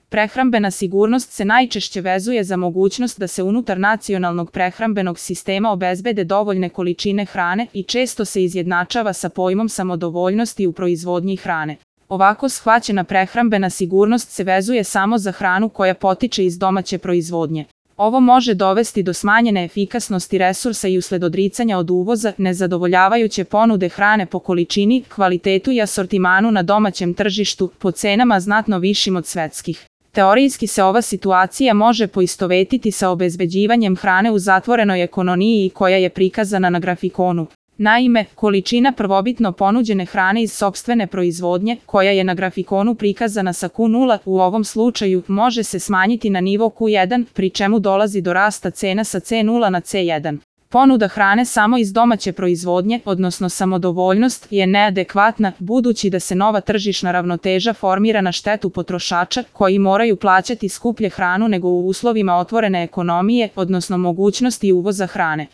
Prehrambena sigurnost se najčešće vezuje za mogućnost da se unutar nacionalnog prehrambenog sistema obezbede dovoljne količine hrane i često se izjednačava sa pojmom samodovoljnosti u proizvodnji hrane. Ovako shvaćena prehrambena sigurnost se vezuje samo za hranu koja potiče iz domaće proizvodnje. Ovo može dovesti do smanjene efikasnosti resursa i usled odricanja od uvoza, nezadovoljavajuće ponude hrane po količini, kvalitetu i asortimanu na domaćem tržištu, po cenama znatno višim od svetskih. Teorijski se ova situacija može poistovetiti sa obezbeđivanjem hrane u zatvorenoj ekonomiji koja je prikazana na grafikonu. Naime, količina prvobitno ponuđene hrane iz sopstvene proizvodnje, koja je na grafikonu prikazana sa Q0, u ovom slučaju može se smanjiti na nivo Q1, pri čemu dolazi do rasta cena sa C0 na C1. Ponuda hrane samo iz domaće proizvodnje, odnosno samodovoljnost, je neadekvatna, budući da se nova tržišna ravnoteža formira na štetu potrošača, koji moraju plaćati skuplje hranu nego u uslovima otvorene ekonomije, odnosno mogućnosti uvoza hrane.